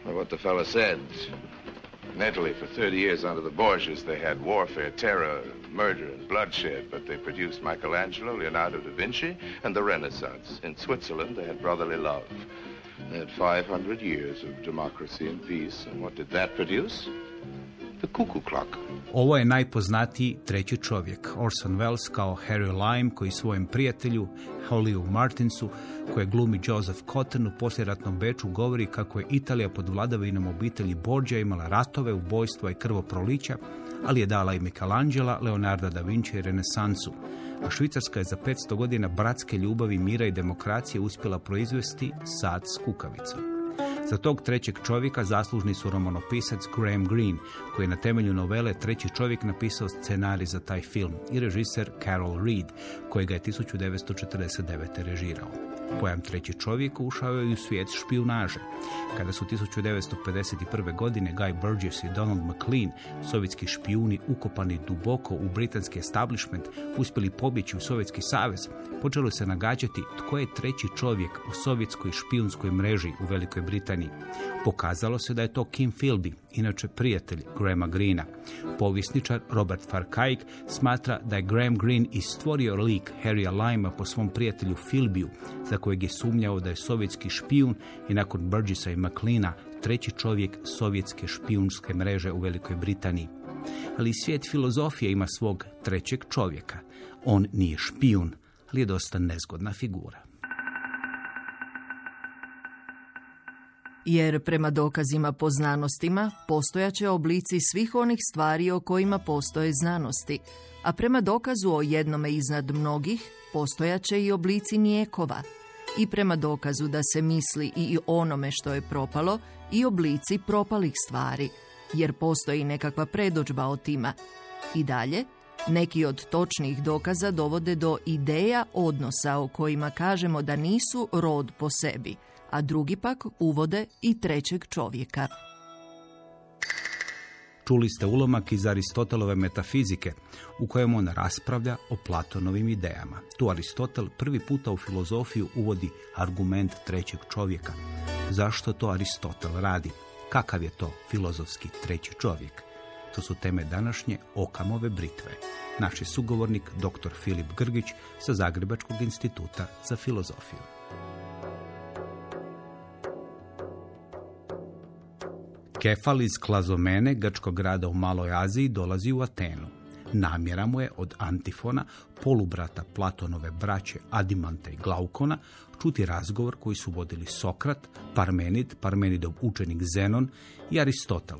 Well, what the fella said. In Italy, for 30 years under the Borgias, they had warfare, terror, murder, and bloodshed, but they produced Michelangelo, Leonardo da Vinci, and the Renaissance. In Switzerland, they had brotherly love. They had 500 years of democracy and peace, and what did that produce? The cuckoo clock. Ovo je najpoznatiji treći čovjek, Orson Welles kao Harry Lime, koji svojem prijatelju Hollywood Martinsu, koje glumi Joseph Cotten u poslijeratnom Beču, govori kako je Italija pod vladavinom obitelji Borgia imala ratove, ubojstva i krvoprolića, ali je dala i Michelangela, Leonarda da Vinci i Renesansu. A Švicarska je za 500 godina bratske ljubavi, mira i demokracije uspjela proizvesti sad s kukavicom. Za tog trećeg čovjeka zaslužni su romanopisac Graham Greene, koji je na temelju novele Treći čovjek napisao scenarij za taj film, i režiser Carol Reed, koji ga je 1949. režirao. Pojam treći čovjek ušao je i u svijet špijunaže. Kada su 1951. godine Guy Burgess i Donald McLean, sovjetski špijuni ukopani duboko u britanski establishment, uspjeli pobjeći u Sovjetski savez, počelo se nagađati tko je treći čovjek u sovjetskoj špijunskoj mreži u Velikoj Britaniji. Pokazalo se da je to Kim Philby, inače prijatelj Grahama Greena. Povjesničar Robert Farkaik smatra da je Graham Greene i stvorio lik Harrya Limea po svom prijatelju Philbyu, za kojeg je sumnjao da je sovjetski špijun i nakon Burgessa i McLeana treći čovjek sovjetske špijunske mreže u Velikoj Britaniji. Ali svijet filozofije ima svog trećeg čovjeka. On nije špijun, ali je dosta nezgodna figura. Jer prema dokazima po znanostima postojaće oblici svih onih stvari o kojima postoje znanosti, a prema dokazu o jednome iznad mnogih postojaće i oblici nijekova, i prema dokazu da se misli i onome što je propalo i oblici propalih stvari, jer postoji nekakva predodžba o tima. I dalje, neki od točnih dokaza dovode do ideja odnosa o kojima kažemo da nisu rod po sebi, a drugi pak uvode i trećeg čovjeka. Čuli ste ulomak iz Aristotelove metafizike, u kojem on raspravlja o Platonovim idejama. Tu Aristotel prvi puta u filozofiju uvodi argument trećeg čovjeka. Zašto to Aristotel radi? Kakav je to filozofski treći čovjek? To su teme današnje Okamove britve. Naš je sugovornik dr. Filip Grgić sa Zagrebačkog instituta za filozofiju. Kefal iz Klazomene, grčkog grada u Maloj Aziji, dolazi u Atenu. Namjera mu je od Antifona, polubrata Platonove braće Adimanta i Glaukona, čuti razgovor koji su vodili Sokrat, Parmenid, Parmenidov učenik Zenon i Aristotel.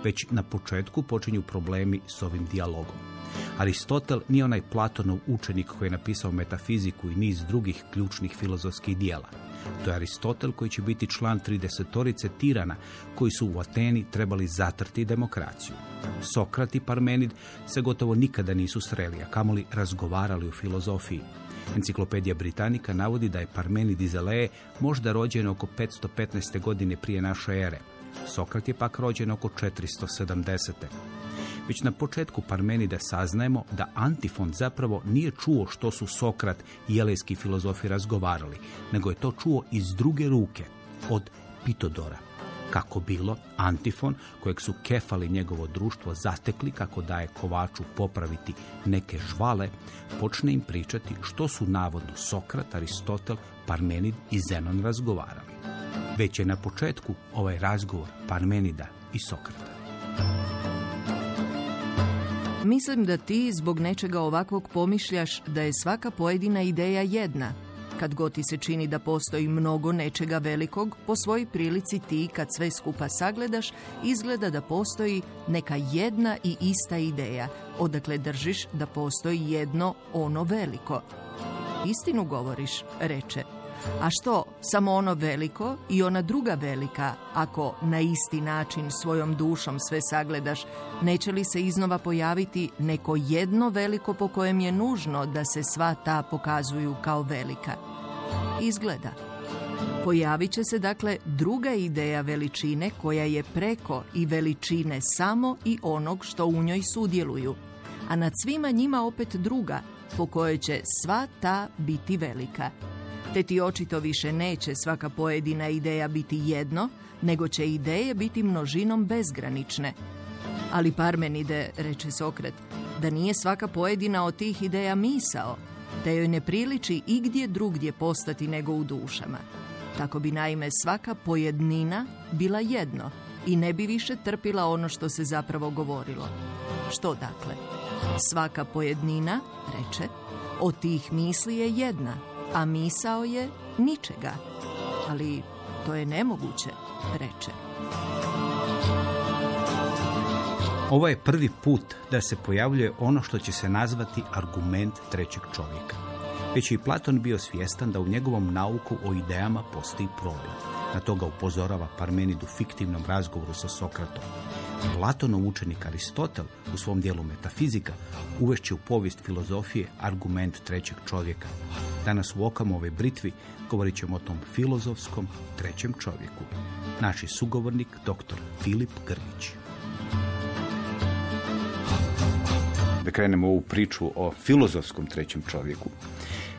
Već na početku počinju problemi s ovim dijalogom. Aristotel nije onaj Platonov učenik koji je napisao metafiziku i niz drugih ključnih filozofskih dijela. To je Aristotel koji će biti član 30-torice tirana koji su u Ateni trebali zatrti demokraciju. Sokrat i Parmenid se gotovo nikada nisu sreli, a kamoli razgovarali o filozofiji. Enciklopedija Britanika navodi da je Parmenid iz Eleje možda rođen oko 515. godine prije naše ere. Sokrat je pak rođen oko 470. Već na početku Parmenida saznajemo da Antifon zapravo nije čuo što su Sokrat i elejski filozofi razgovarali, nego je to čuo iz druge ruke, od Pitodora. Kako bilo, Antifon, kojeg su Kefal i njegovo društvo zatekli kako daje kovaču popraviti neke žvale, počne im pričati što su navodno Sokrat, Aristotel, Parmenid i Zenon razgovarali. Već je na početku ovaj razgovor Parmenida i Sokrata. Mislim da ti zbog nečega ovakvog pomišljaš da je svaka pojedina ideja jedna. Kad god ti se čini da postoji mnogo nečega velikog, po svojoj prilici ti, kad sve skupa sagledaš, izgleda da postoji neka jedna i ista ideja, odakle držiš da postoji jedno ono veliko. Istinu govoriš, reče. A što, samo ono veliko i ona druga velika, ako na isti način svojom dušom sve sagledaš, neće li se iznova pojaviti neko jedno veliko po kojem je nužno da se sva ta pokazuju kao velika? Izgleda. Pojavit će se dakle druga ideja veličine koja je preko i veličine samo i onog što u njoj sudjeluju, a nad svima njima opet druga po kojoj će sva ta biti velika. Te ti očito više neće svaka pojedina ideja biti jedno, nego će ideje biti množinom bezgranične. Ali Parmenide, reče Sokrat, da nije svaka pojedina od tih ideja misao, te joj ne priliči igdje drugdje postati nego u dušama. Tako bi naime svaka pojednina bila jedno i ne bi više trpila ono što se zapravo govorilo. Što dakle? Svaka pojednina, reče, od tih misli je jedna, a misao je ničega. Ali to je nemoguće, reče. Ovo je prvi put da se pojavljuje ono što će se nazvati argument trećeg čovjeka. Već je i Platon bio svjestan da u njegovom nauku o idejama postoji problem. Na to ga upozorava Parmenid u fiktivnom razgovoru sa Sokratom. Platonov učenik Aristotel u svom dijelu Metafizika uvešće u povijest filozofije argument trećeg čovjeka. Danas u Okamove britvi govorit ćemo o tom filozofskom trećem čovjeku. Naš je sugovornik dr. Filip Grgić. Da krenemo ovu priču o filozofskom trećem čovjeku.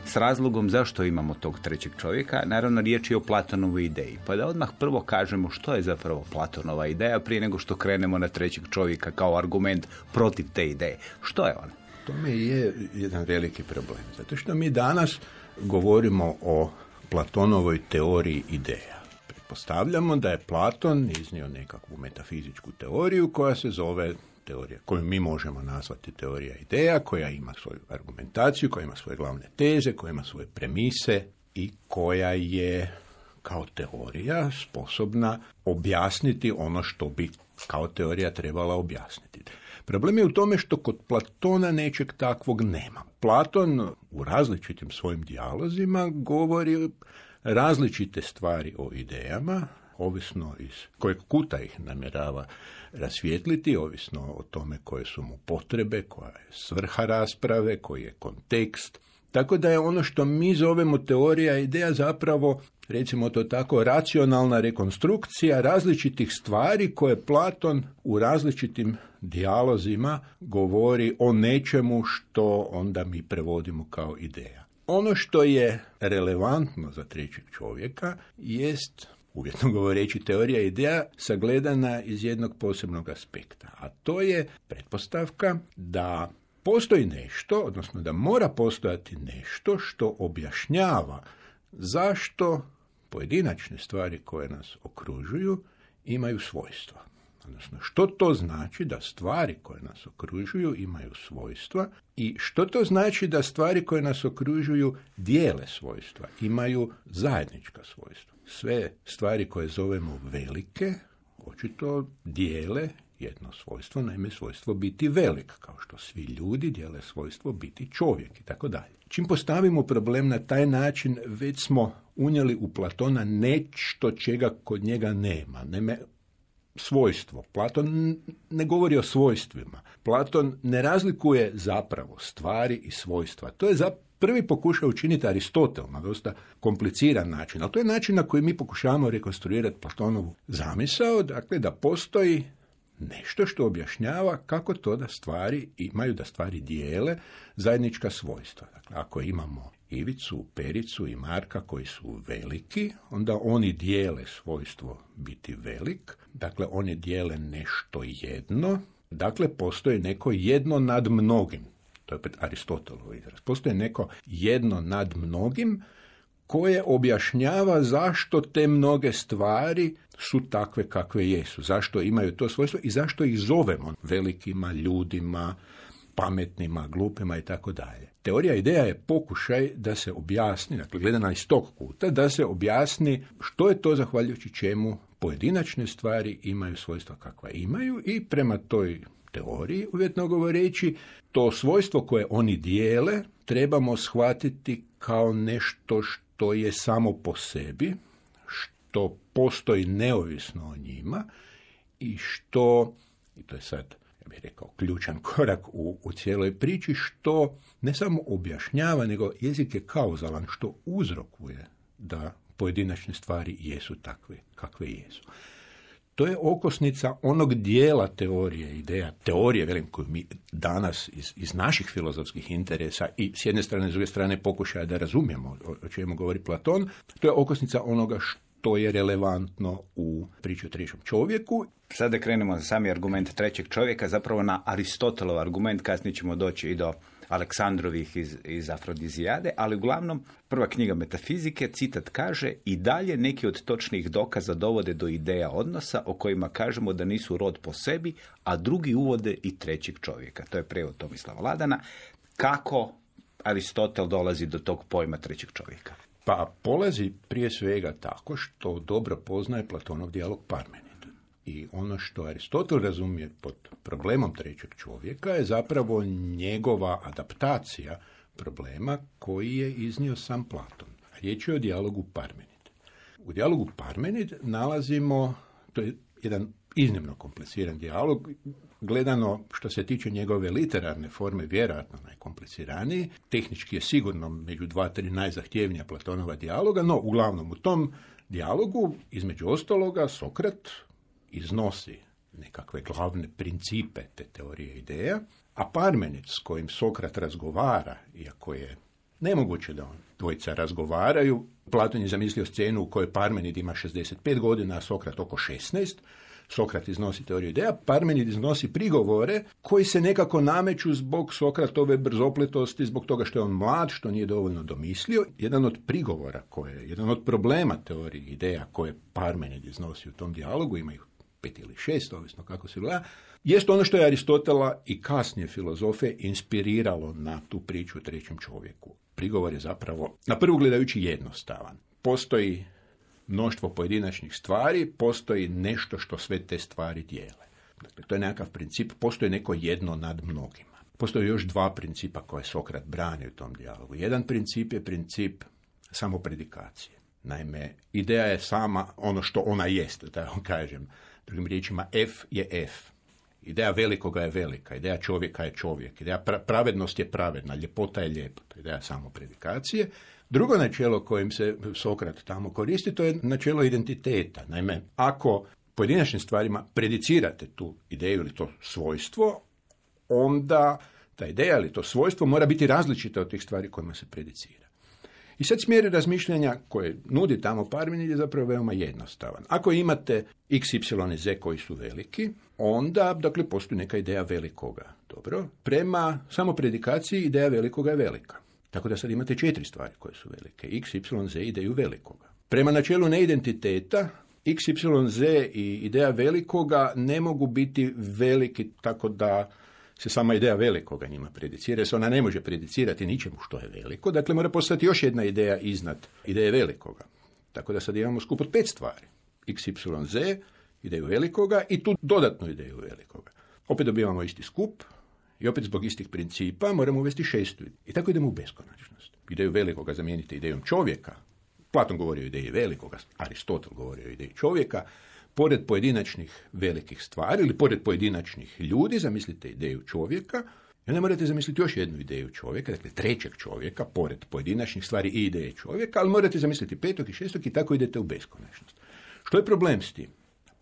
S razlogom zašto imamo tog trećeg čovjeka, naravno riječ je o Platonovoj ideji. Pa da odmah prvo kažemo što je zapravo Platonova ideja prije nego što krenemo na trećeg čovjeka kao argument protiv te ideje. Što je on? To je jedan veliki problem. Zato što mi danas govorimo o Platonovoj teoriji ideja. Pretpostavljamo da je Platon iznio nekakvu metafizičku teoriju koja se zove teorija, koju mi možemo nazvati teorija ideja, koja ima svoju argumentaciju, koja ima svoje glavne teze, koja ima svoje premise i koja je kao teorija sposobna objasniti ono što bi kao teorija trebala objasniti. Problem je u tome što kod Platona nečeg takvog nema. Platon u različitim svojim dijalozima govori različite stvari o idejama, ovisno iz kojeg kuta ih namjerava rasvijetliti, ovisno o tome koje su mu potrebe, koja je svrha rasprave, koji je kontekst. Tako da je ono što mi zovemo teorija ideja zapravo, recimo to tako, racionalna rekonstrukcija različitih stvari koje Platon u različitim dijalozima govori o nečemu što onda mi prevodimo kao ideja. Ono što je relevantno za trećeg čovjeka jest, uvjetno govoreći, teorija ideja sagledana iz jednog posebnog aspekta, a to je pretpostavka da postoji nešto, odnosno da mora postojati nešto što objašnjava zašto pojedinačne stvari koje nas okružuju imaju svojstva. Odnosno, što to znači da stvari koje nas okružuju imaju svojstva i što to znači da stvari koje nas okružuju dijele svojstva, imaju zajednička svojstva. Sve stvari koje zovemo velike, očito dijele jedno svojstvo, naime svojstvo biti velik, kao što svi ljudi dijele svojstvo biti čovjek i tako dalje. Čim postavimo problem na taj način, već smo unijeli u Platona nešto čega kod njega nema. Naime, svojstvo. Platon ne govori o svojstvima. Platon ne razlikuje zapravo stvari i svojstva. To je prvi pokušao učiniti Aristotel na dosta kompliciran način, ali to je način na koji mi pokušavamo rekonstruirati Platonovu zamisao, dakle da postoji nešto što objašnjava kako to da stvari imaju, da stvari dijele zajednička svojstva. Dakle, ako imamo Ivicu, Pericu i Marka koji su veliki, onda oni dijele svojstvo biti velik, dakle oni dijele nešto jedno, dakle postoji neko jedno nad mnogim. To je opet Aristotelov izraz. Postoji neko jedno nad mnogim koje objašnjava zašto te mnoge stvari su takve kakve jesu, zašto imaju to svojstvo i zašto ih zovemo velikima, ljudima, pametnima, glupima i tako dalje. Teorija ideja je pokušaj da se objasni, dakle gledana iz tog kuta, da se objasni što je to zahvaljujući čemu pojedinačne stvari imaju svojstva kakva imaju i prema toj teoriji, uvjetno govoreći, to svojstvo koje oni dijele trebamo shvatiti kao nešto što je samo po sebi, što postoji neovisno o njima i što, i to je sad, ja bih rekao, ključan korak u cijeloj priči, što ne samo objašnjava, nego jezik je kauzalan, što uzrokuje da pojedinačne stvari jesu takve kakve jesu. To je okosnica onog dijela teorije ideja, teorije, velim, koju mi danas iz naših filozofskih interesa i s jedne strane, s druge strane pokušaja da razumijemo o čemu govori Platon, to je okosnica onoga to je relevantno u priči o trećem čovjeku. Sada krenemo za sami argument trećeg čovjeka, zapravo na Aristotelov argument, kasnije ćemo doći i do Aleksandrovih iz Afrodizijade, ali uglavnom prva knjiga Metafizike, citat kaže: i dalje neki od točnih dokaza dovode do ideja odnosa o kojima kažemo da nisu rod po sebi, a drugi uvode i trećeg čovjeka. To je prijevod Tomislava Ladana. Kako Aristotel dolazi do tog pojma trećeg čovjeka? Pa polazi prije svega tako što dobro poznaje Platonov dijalog Parmenid. I ono što Aristotel razumije pod problemom trećeg čovjeka je zapravo njegova adaptacija problema koji je iznio sam Platon. Riječ je o dijalogu Parmenid. U dijalogu Parmenid nalazimo, to je jedan iznimno kompliciran dijalog, gledano što se tiče njegove literarne forme, vjerojatno najkompliciraniji. Tehnički je sigurno među 2-3 najzahtjevnija Platonova dijaloga, no uglavnom u tom dijalogu, između ostaloga, Sokrat iznosi nekakve glavne principe te teorije ideja, a Parmenid s kojim Sokrat razgovara, iako je nemoguće da dvojica razgovaraju, Platon je zamislio scenu u kojoj Parmenid ima 65 godina, a Sokrat oko 16, Sokrat iznosi teoriju ideja, Parmenid iznosi prigovore koji se nekako nameću zbog Sokratove brzopletosti, zbog toga što je on mlad, što nije dovoljno domislio. Jedan od prigovora, jedan od problema teorije ideja koje Parmenid iznosi u tom dijalogu, ima ih 5 ili 6, ovisno kako se gleda, jest ono što je Aristotela i kasnije filozofe inspiriralo na tu priču o trećem čovjeku. Prigovor je zapravo, na prvu gledajući, jednostavan. Postoji mnoštvo pojedinačnih stvari, postoji nešto što sve te stvari dijele. Dakle, to je nekakav princip, postoji neko jedno nad mnogima. Postoje još 2 principa koje Sokrat brani u tom dijalogu. Jedan princip je princip samopredikacije. Naime, ideja je sama ono što ona jest, da vam kažem. Drugim riječima, F je F. Ideja velikoga je velika, ideja čovjeka je čovjek, ideja pravednost je pravedna, ljepota je ljepota, ideja samopredikacije. Drugo načelo kojim se Sokrat tamo koristi, to je načelo identiteta. Naime, ako pojedinačnim stvarima predicirate tu ideju ili to svojstvo, onda ta ideja ili to svojstvo mora biti različita od tih stvari kojima se predicira. I sad smjer razmišljanja koje nudi tamo Parmenid je zapravo veoma jednostavan. Ako imate x, y i z koji su veliki, onda, dakle, postoji neka ideja velikoga. Dobro. Prema samopredikaciji ideja velikoga je velika. Tako da sad imate 4 stvari koje su velike. X, y, z ideju velikoga. Prema načelu neidentiteta, x, y, z i ideja velikoga ne mogu biti veliki tako da se sama ideja velikoga njima predicira, jer se ona ne može predicirati ničemu što je veliko. Dakle, mora postati još jedna ideja iznad ideje velikoga. Tako da sad imamo skup od 5 stvari. X, y, z, ideju velikoga i tu dodatnu ideju velikoga. Opet dobivamo isti skup i opet zbog istih principa moramo uvesti 6. I tako idemo u beskonačnost. Ideju velikoga zamijenite idejom čovjeka. Platon govori o ideji velikoga, Aristotel govori o ideji čovjeka. Pored pojedinačnih velikih stvari ili pored pojedinačnih ljudi zamislite ideju čovjeka i onda morate zamisliti još jednu ideju čovjeka, dakle trećeg čovjeka, pored pojedinačnih stvari i ideje čovjeka, ali morate zamisliti 5. i 6. i tako idete u beskonačnost. Što je problem s tim?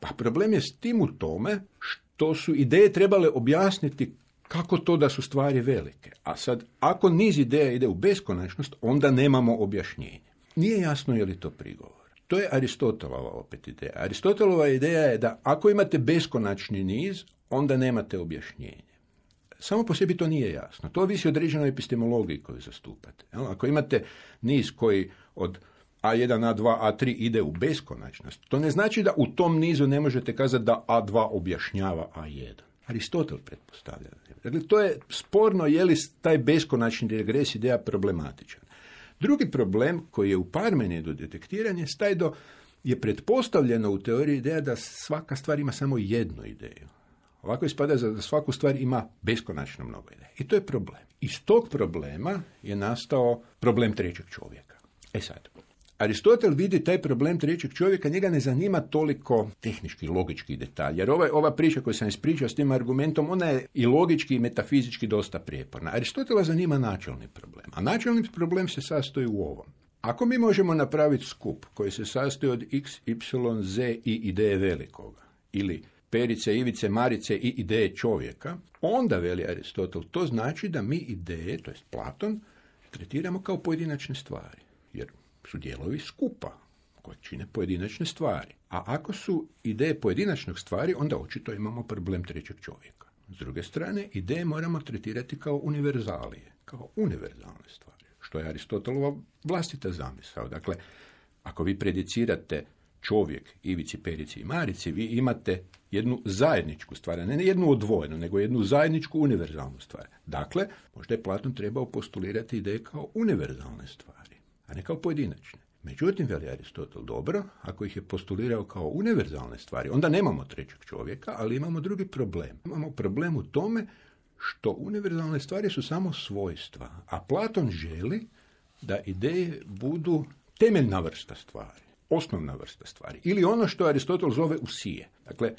Pa problem je s tim u tome što su ideje trebale objasniti kako to da su stvari velike. A sad, ako niz ideja ide u beskonačnost, onda nemamo objašnjenje. Nije jasno je li to prigovor. To je Aristotelova opet ideja. Aristotelova ideja je da ako imate beskonačni niz, onda nemate objašnjenje. Samo po sebi to nije jasno. To ovisi o određenoj epistemologiji koju zastupate. Ako imate niz koji od A1, A2, A3 ide u beskonačnost, to ne znači da u tom nizu ne možete kazati da A2 objašnjava A1. Aristotel pretpostavlja. Dakle, to je sporno je li taj beskonačni regres ideja problematičan. Drugi problem koji je u Parmenidu detektiran je taj da je pretpostavljeno u teoriji ideja da svaka stvar ima samo jednu ideju. Ovako ispada da svaku stvar ima beskonačno mnogo ideja. I to je problem. Iz tog problema je nastao problem trećeg čovjeka. Sad, Aristotel vidi taj problem trećeg čovjeka, njega ne zanima toliko tehnički, logički detalj, jer ova priča koju sam ispričao s tim argumentom, ona je i logički i metafizički dosta prijeporna. Aristotela zanima načelni problem, a načelni problem se sastoji u ovom. Ako mi možemo napraviti skup koji se sastoji od x, y, z i ideje velikoga, ili Perice, Ivice, Marice i ideje čovjeka, onda, veli Aristotel, to znači da mi ideje, to jest Platon, tretiramo kao pojedinačne stvari, jer su dijelovi skupa koje čine pojedinačne stvari. A ako su ideje pojedinačnog stvari, onda očito imamo problem trećeg čovjeka. S druge strane, ideje moramo tretirati kao univerzalije, kao univerzalne stvari, što je Aristotelova vlastita zamisao. Dakle, ako vi predicirate čovjek, Ivici, Perici i Marici, vi imate jednu zajedničku stvar, ne jednu odvojenu, nego jednu zajedničku univerzalnu stvar. Dakle, možda je Platon trebao postulirati ideje kao univerzalne stvari, a ne kao pojedinačne. Međutim, veli Aristotel, dobro, ako ih je postulirao kao univerzalne stvari, onda nemamo trećeg čovjeka, ali imamo drugi problem. Imamo problem u tome što univerzalne stvari su samo svojstva, a Platon želi da ideje budu temeljna vrsta stvari, osnovna vrsta stvari, ili ono što Aristotel zove usije. Dakle,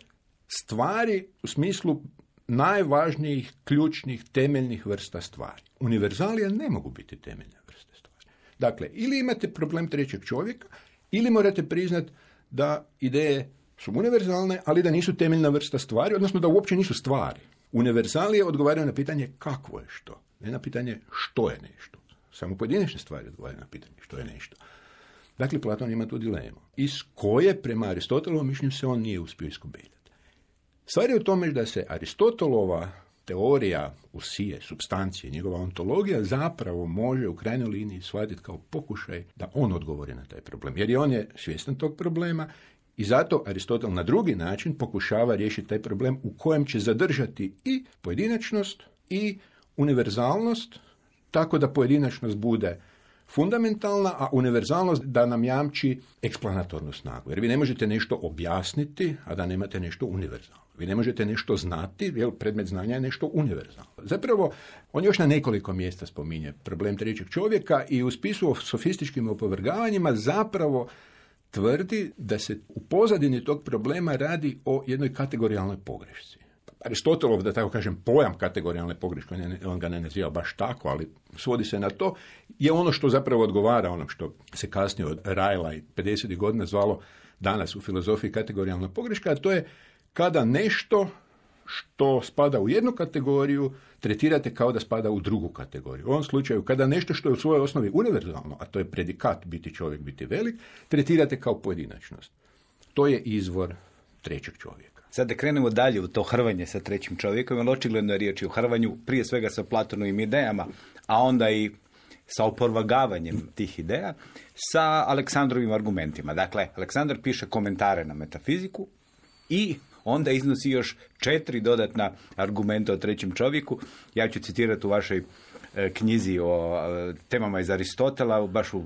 stvari u smislu najvažnijih, ključnih, temeljnih vrsta stvari. Univerzalije ne mogu biti temeljne vrste stvari. Dakle, ili imate problem trećeg čovjeka, ili morate priznati da ideje su univerzalne, ali da nisu temeljna vrsta stvari, odnosno da uopće nisu stvari. Univerzalije odgovaraju na pitanje kakvo je što, ne na pitanje što je nešto. Samo pojedinačne stvari odgovaraju na pitanje što je nešto. Dakle, Platon ima tu dilemu, iz koje prema Aristotelovom mišljenju se on nije uspio iskobeljati. Stvar je u tome da se Aristotelova teorija usije, supstancije, njegova ontologija zapravo može u krajnjoj liniji shvatiti kao pokušaj da on odgovori na taj problem. Jer on je svjestan tog problema i zato Aristotel na drugi način pokušava riješiti taj problem u kojem će zadržati i pojedinačnost i univerzalnost, tako da pojedinačnost bude fundamentalna, a univerzalnost da nam jamči eksplanatornu snagu. Jer vi ne možete nešto objasniti, a da nemate nešto univerzalno. Vi ne možete nešto znati, jer predmet znanja je nešto univerzalno. Zapravo, on još na nekoliko mjesta spominje problem trećeg čovjeka i u spisu o sofističkim opovrgavanjima zapravo tvrdi da se u pozadini tog problema radi o jednoj kategorijalnoj pogrešci. Aristotelov, da tako kažem, pojam kategorijalne pogreške, on ga ne naziva baš tako, ali svodi se na to, je ono što zapravo odgovara onom što se kasnije od Rajla i 50. godina zvalo danas u filozofiji kategorijalna pogreška, a to je kada nešto što spada u jednu kategoriju tretirate kao da spada u drugu kategoriju. U ovom slučaju, kada nešto što je u svojoj osnovi univerzalno, a to je predikat biti čovjek, biti velik, tretirate kao pojedinačnost. To je izvor trećeg čovjeka. Sad da krenemo dalje u to hrvanje sa trećim čovjekom, jer očigledno je riječ o hrvanju prije svega sa Platonovim idejama, a onda i sa oporvagavanjem tih ideja, sa Aleksandrovim argumentima. Dakle, Aleksandar piše komentare na metafiziku i onda iznosi još 4 dodatna argumenta o trećem čovjeku. Ja ću citirati u vašoj knjizi o temama iz Aristotela, baš u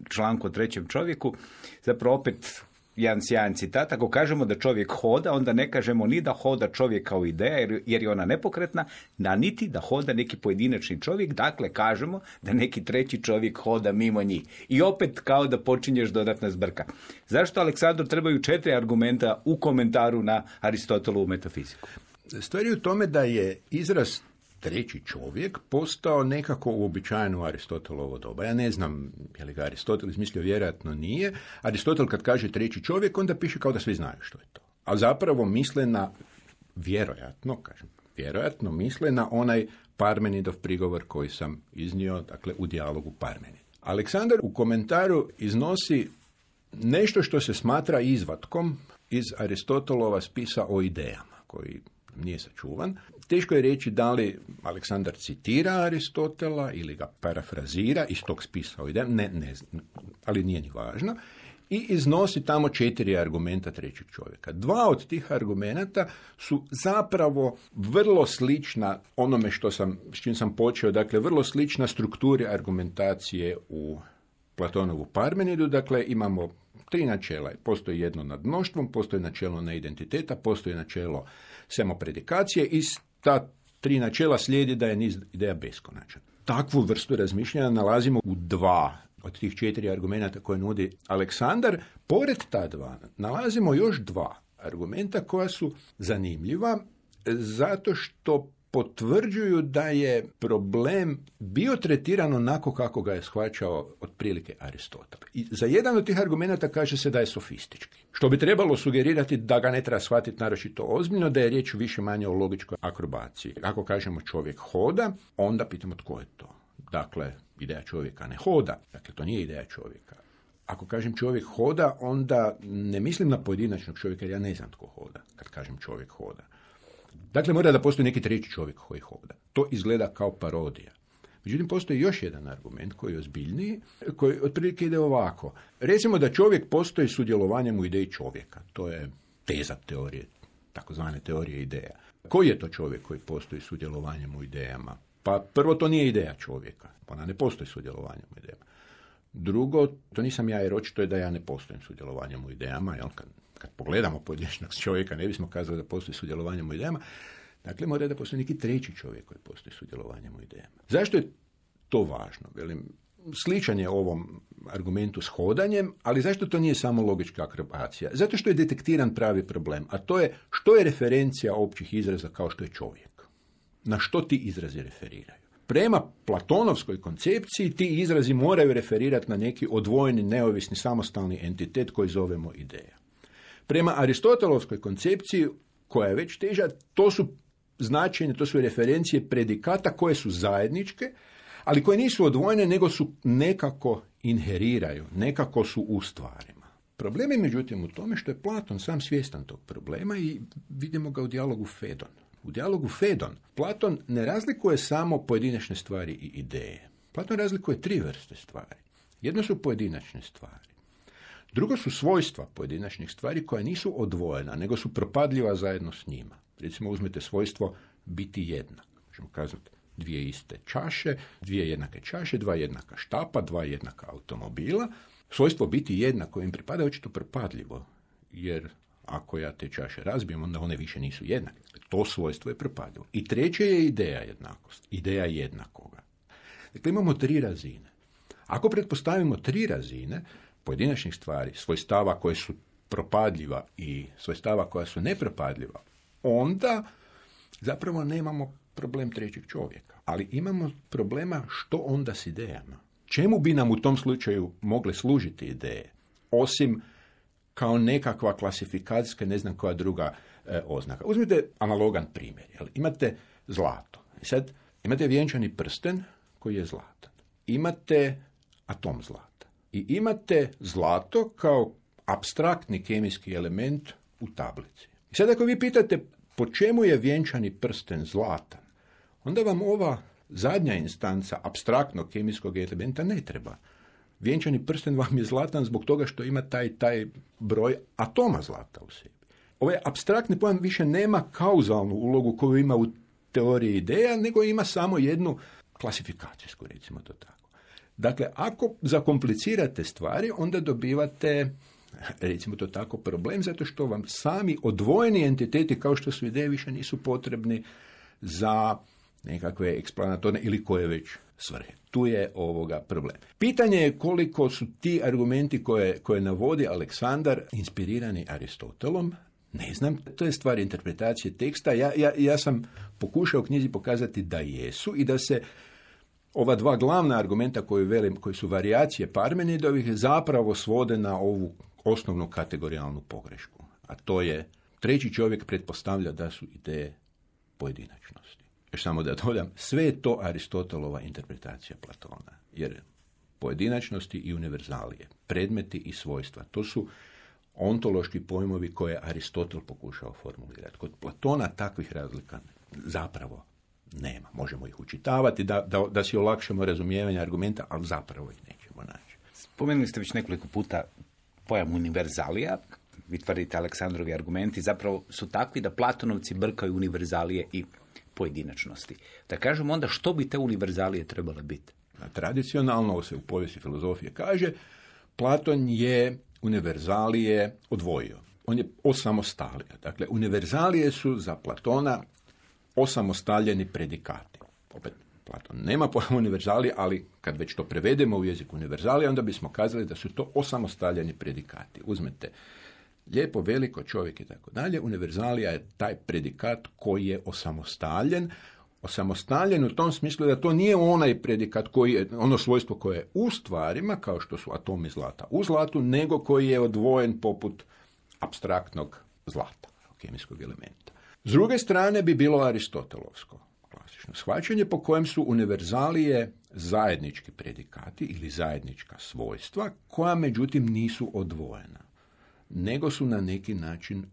članku o trećem čovjeku. Zapravo opet jedan sjajan citat. Ako kažemo da čovjek hoda, onda ne kažemo ni da hoda čovjek kao ideja, jer je ona nepokretna, da niti da hoda neki pojedinačni čovjek. Dakle, kažemo da neki treći čovjek hoda mimo njih. I opet kao da počinješ dodatna zbrka. Zašto Aleksandru trebaju 4 argumenta u komentaru na Aristotelovu metafiziku? Stvar je u tome da je izraz treći čovjek postao nekako uobičajen u Aristotelovo doba. Ja ne znam je li ga Aristotel izmislio, vjerojatno nije. Aristotel kad kaže treći čovjek, onda piše kao da svi znaju što je to. A zapravo misle na, vjerojatno misle na onaj Parmenidov prigovor koji sam iznio, dakle, u dijalogu Parmenid. Aleksandar u komentaru iznosi nešto što se smatra izvatkom iz Aristotelova spisa o idejama, koji nije sačuvan. Teško je reći da li Aleksandar citira Aristotela ili ga parafrazira iz tog spisa o idejama, ne znam, ali nije ni važno. I iznosi tamo 4 argumenta trećeg čovjeka. 2 od tih argumenta su zapravo vrlo slična onome s čim sam počeo, dakle vrlo slična strukturi argumentacije u Platonovu Parmenidu. Dakle, imamo 3 načela. Postoji jedno nad mnoštvom, postoji načelo neidentiteta, postoji načelo samopredikacije i ta 3 načela slijedi da je niz ideja beskonačan. Takvu vrstu razmišljanja nalazimo u 2 od tih 4 argumenta koje nudi Aleksandar. Pored ta 2 nalazimo još 2 argumenta koja su zanimljiva zato što potvrđuju da je problem bio tretiran onako kako ga je shvaćao otprilike Aristotel. I za jedan od tih argumenata kaže se da je sofistički. Što bi trebalo sugerirati da ga ne treba shvatiti naročito ozbiljno, da je riječ više manje o logičkoj akrobaciji. Ako kažemo čovjek hoda, onda pitamo tko je to. Dakle, ideja čovjeka ne hoda. Dakle, to nije ideja čovjeka. ako kažem čovjek hoda, onda ne mislim na pojedinačnog čovjeka, jer ja ne znam tko hoda kad kažem čovjek hoda. Dakle, mora da postoji neki treći čovjek koji hoda. To izgleda kao parodija. Međutim, postoji još jedan argument koji je ozbiljniji, koji otprilike ide ovako. Recimo da čovjek postoji sudjelovanjem u ideji čovjeka. To je teza teorije, takozvane teorije ideja. Koji je to čovjek koji postoji sudjelovanjem u idejama? Pa prvo, to nije ideja čovjeka. Ona ne postoji sudjelovanjem u idejama. Drugo, to nisam ja, jer očito je da ja ne postojim sudjelovanjem u idejama. Jel? Kad pogledamo pojedinačnog čovjeka, ne bismo kazali da postoji sudjelovanjem u idejama. Dakle, mora da postoji neki treći čovjek koji postoji sudjelovanjem u idejama. Zašto je to važno? Velim, sličan je ovom argumentu s hodanjem, ali zašto to nije samo logička akrobacija? Zato što je detektiran pravi problem, a to je što je referencija općih izraza kao što je čovjek. Na što ti izrazi referiraju? Prema platonovskoj koncepciji ti izrazi moraju referirati na neki odvojeni, neovisni, samostalni entitet koji zovemo ideja. Prema aristotelovskoj koncepciji, koja je već teža, to su značenje, to su referencije predikata koje su zajedničke, ali koje nisu odvojene, nego su nekako inheriraju, nekako su u stvarima. Problem je međutim u tome što je Platon sam svjestan tog problema i vidimo ga u dijalogu Fedon. U dijalogu Fedon Platon ne razlikuje samo pojedinačne stvari i ideje. Platon razlikuje 3 vrste stvari. Jedno su pojedinačne stvari. Drugo su svojstva pojedinačnih stvari koja nisu odvojena, nego su propadljiva zajedno s njima. Recimo uzmete svojstvo biti jednak. Možemo kazati 2 iste čaše, 2 jednake čaše, 2 jednaka štapa, 2 jednaka automobila. Svojstvo biti jednako im pripada očito propadljivo, jer ako ja te čaše razbijem, onda one više nisu jednake. To svojstvo je propadljivo. I treće je ideja jednakosti, ideja jednakoga. Dakle, imamo 3 razine. Ako pretpostavimo 3 razine pojedinačnih stvari, svojstava koje su propadljiva i svojstava koja su nepropadljiva, onda zapravo nemamo problem trećeg čovjeka. Ali imamo problema što onda s idejama. Čemu bi nam u tom slučaju mogle služiti ideje? Osim kao nekakva klasifikacijska, ne znam koja druga oznaka. Uzmite analogan primjer. Jel? Imate zlato. Sad imate vjenčani prsten koji je zlatan. Imate atom zlata. I imate zlato kao apstraktni kemijski element u tablici. I sad ako vi pitate po čemu je vjenčani prsten zlatan, onda vam ova zadnja instanca apstraktnog kemijskog elementa ne treba. Vjenčani prsten vam je zlatan zbog toga što ima taj broj atoma zlata u sebi. Ovaj apstraktni pojam više nema kauzalnu ulogu koju ima u teoriji ideja, nego ima samo jednu klasifikacijsku, recimo to tako. Dakle, ako zakomplicirate stvari, onda dobivate, recimo to tako, problem, zato što vam sami odvojeni entiteti kao što su ideje više nisu potrebni za nekakve eksplanatorne ili koje već svrhe. Tu je problem. Pitanje je koliko su ti argumenti koje navodi Aleksandar inspirirani Aristotelom. Ne znam, to je stvar interpretacije teksta. Ja sam pokušao u knjizi pokazati da jesu i da se ova 2 glavna argumenta koji su varijacije Parmenidovih zapravo svode na ovu osnovnu kategorijalnu pogrešku. A to je treći čovjek pretpostavlja da su ideje pojedinačnosti. Još samo da dodam, sve je to Aristotelova interpretacija Platona. Jer pojedinačnosti i univerzalije, predmeti i svojstva, to su ontološki pojmovi koje je Aristotel pokušao formulirati. Kod Platona takvih razlika zapravo nema. Možemo ih učitavati da si olakšamo razumijevanje argumenta, ali zapravo ih nećemo naći. Spomenuli ste već nekoliko puta pojam univerzalija. Vi tvrdite Aleksandrovi argumenti zapravo su takvi da Platonovci brkaju univerzalije i pojedinačnosti. Da kažemo onda što bi te univerzalije trebale biti? Tradicionalno se u povijesti filozofije kaže Platon je univerzalije odvojio. On je osamostalio. Dakle, univerzalije su za Platona osamostaljeni predikati. Opet, Platon nema pojma univerzalije, ali kad već to prevedemo u jezik univerzalije, onda bismo kazali da su to osamostaljeni predikati. Uzmete lijepo, veliko, čovjek i tako dalje. Univerzalija je taj predikat koji je osamostaljen. Osamostaljen u tom smislu da to nije onaj predikat koji je, ono svojstvo koje je u stvarima, kao što su atomi zlata u zlatu, nego koji je odvojen poput apstraktnog zlata, kemijskog elementa. S druge strane bi bilo aristotelovsko. klasično shvaćanje po kojem su univerzalije zajednički predikati ili zajednička svojstva, koja međutim nisu odvojena, nego su na neki način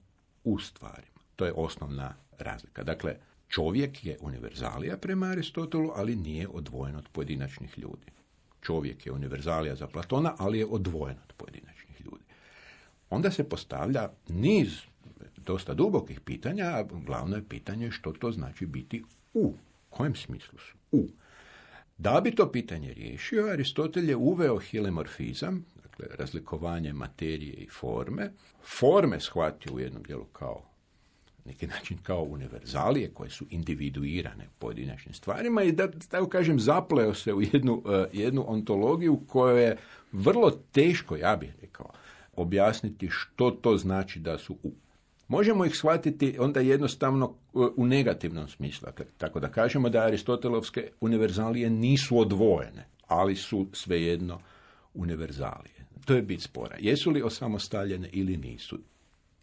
u stvarima. To je osnovna razlika. Dakle, čovjek je univerzalija prema Aristotelu, ali nije odvojen od pojedinačnih ljudi. Čovjek je univerzalija za Platona, ali je odvojen od pojedinačnih ljudi. Onda se postavlja niz dosta dubokih pitanja, a glavno je pitanje što to znači biti u. Kojem smislu su u? Da bi to pitanje riješio, Aristotel je uveo hilemorfizam, dakle razlikovanje materije i forme. Forme shvatio u jednom dijelu kao neki način kao univerzalije koje su individuirane pojedinačnim stvarima i da tako kažem zapleo se u jednu ontologiju koju je vrlo teško, ja bih rekao, objasniti što to znači da su u. Možemo ih shvatiti onda jednostavno u negativnom smislu, tako da kažemo da aristotelovske univerzalije nisu odvojene, ali su svejedno univerzalije. To je bit spora. Jesu li osamostaljene ili nisu?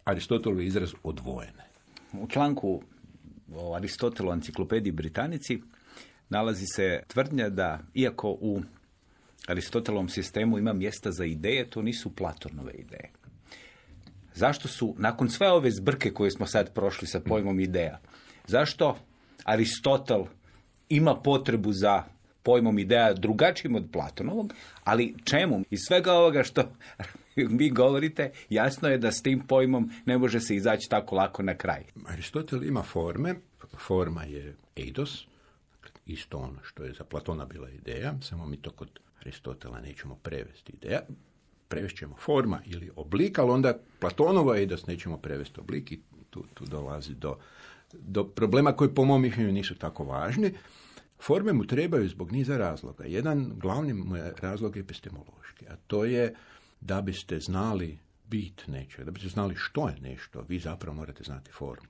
Aristotelov je izraz odvojene. U članku o Aristotelu enciklopediji Britannici nalazi se tvrdnja da iako u Aristotelovom sistemu ima mjesta za ideje, to nisu Platonove ideje. Zašto su, nakon sve ove zbrke koje smo sad prošli sa pojmom ideja, zašto Aristotel ima potrebu za pojmom ideja drugačijim od Platonovog, ali čemu? Iz svega ovoga što vi govorite, jasno je da s tim pojmom ne može se izaći tako lako na kraj. Aristotel ima forme, forma je eidos, isto ono što je za Platona bila ideja, samo mi to kod Aristotela nećemo prevesti ideja. Prevest ćemo forma ili oblik, ali onda Platonova eidos nećemo prevesti oblik i tu dolazi do problema koji po mom mišljenju nisu tako važni. Forme mu trebaju zbog niza razloga. Jedan glavni mu je razlog epistemološki, a to je da biste znali bit nečega, da biste znali što je nešto, vi zapravo morate znati formu.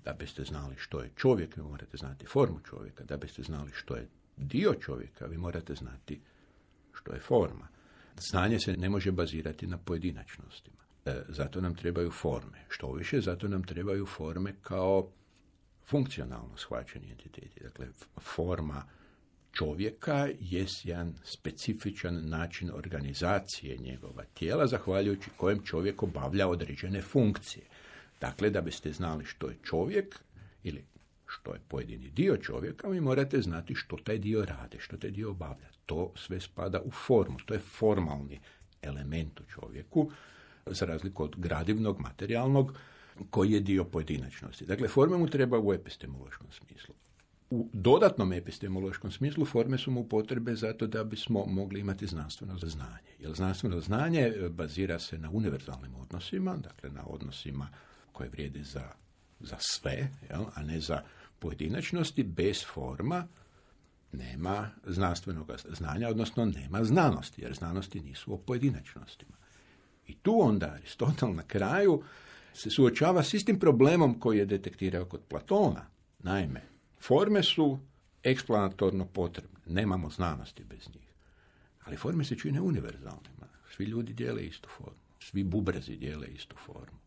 Da biste znali što je čovjek, vi morate znati formu čovjeka. Da biste znali što je dio čovjeka, vi morate znati što je forma. Znanje se ne može bazirati na pojedinačnostima. Zato nam trebaju forme. Što više, zato nam trebaju forme kao funkcionalno shvaćeni entiteti. Dakle, forma čovjeka je jedan specifičan način organizacije njegova tijela, zahvaljujući kojem čovjek obavlja određene funkcije. Dakle, da biste znali što je čovjek ili što je pojedini dio čovjeka, vi morate znati što taj dio radi, što taj dio obavlja. To sve spada u formu. To je formalni element u čovjeku, za razliku od gradivnog, materijalnog, koji je dio pojedinačnosti. Dakle, forme mu treba u epistemološkom smislu. U dodatnom epistemološkom smislu forme su mu potrebe zato da bismo mogli imati znanstveno znanje. Jer znanstveno znanje bazira se na univerzalnim odnosima, dakle na odnosima koje vrijede za sve, a ne za pojedinačnosti. Bez forma nema znanstvenog znanja, odnosno nema znanosti, jer znanosti nisu o pojedinačnostima. I tu onda Aristotel na kraju se suočava s istim problemom koji je detektirao kod Platona. Naime, forme su eksplanatorno potrebne, nemamo znanosti bez njih. Ali forme se čine univerzalnima. Svi ljudi dijele istu formu, svi bubrezi dijele istu formu,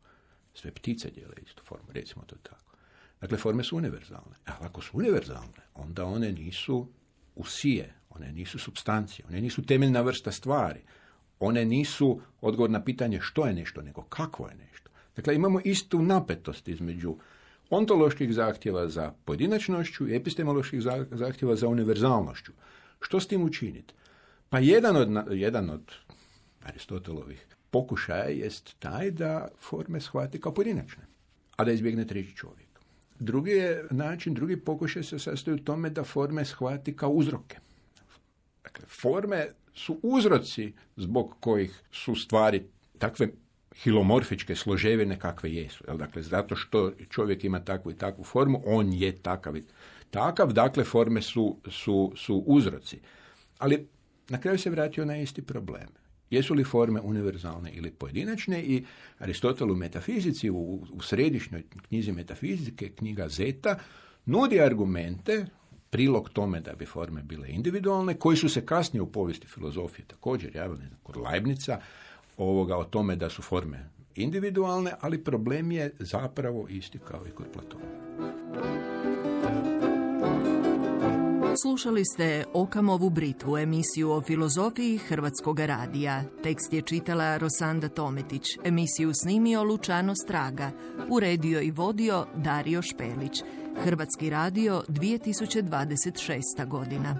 sve ptice dijele istu formu, recimo to tako. Dakle, forme su univerzalne. A ako su univerzalne, onda one nisu usije, one nisu supstancije, one nisu temeljna vrsta stvari. One nisu odgovor na pitanje što je nešto, nego kakvo je nešto. Dakle, imamo istu napetost između ontoloških zahtjeva za pojedinačnošću i epistemoloških zahtjeva za univerzalnošću. Što s tim učiniti? Pa jedan od Aristotelovih pokušaja jest taj da forme shvati kao pojedinačne, a da izbjegne treći čovjek. Drugi pokušaj se sastoji u tome da forme shvati kao uzroke. Dakle, forme su uzroci zbog kojih su stvari takve hilomorfičke složevine kakve jesu. Dakle, zato što čovjek ima takvu i takvu formu, on je takav i takav, dakle, forme su uzroci. Ali na kraju se vratio na isti problem. Jesu li forme univerzalne ili pojedinačne? I Aristotel u metafizici, u središnjoj knjizi metafizike, knjiga Zeta, nudi argumente, prilog tome da bi forme bile individualne, koji su se kasnije u povijesti filozofije također javili kod Leibnica, o tome da su forme individualne, ali problem je zapravo isti kao i kod Platona. Slušali ste Okamovu Britvu, emisiju o filozofiji Hrvatskog radija. Tekst je čitala Rosanda Tometić, emisiju snimio Lučano Straga, uredio i vodio Dario Špelić. Hrvatski radio, 2026. godina.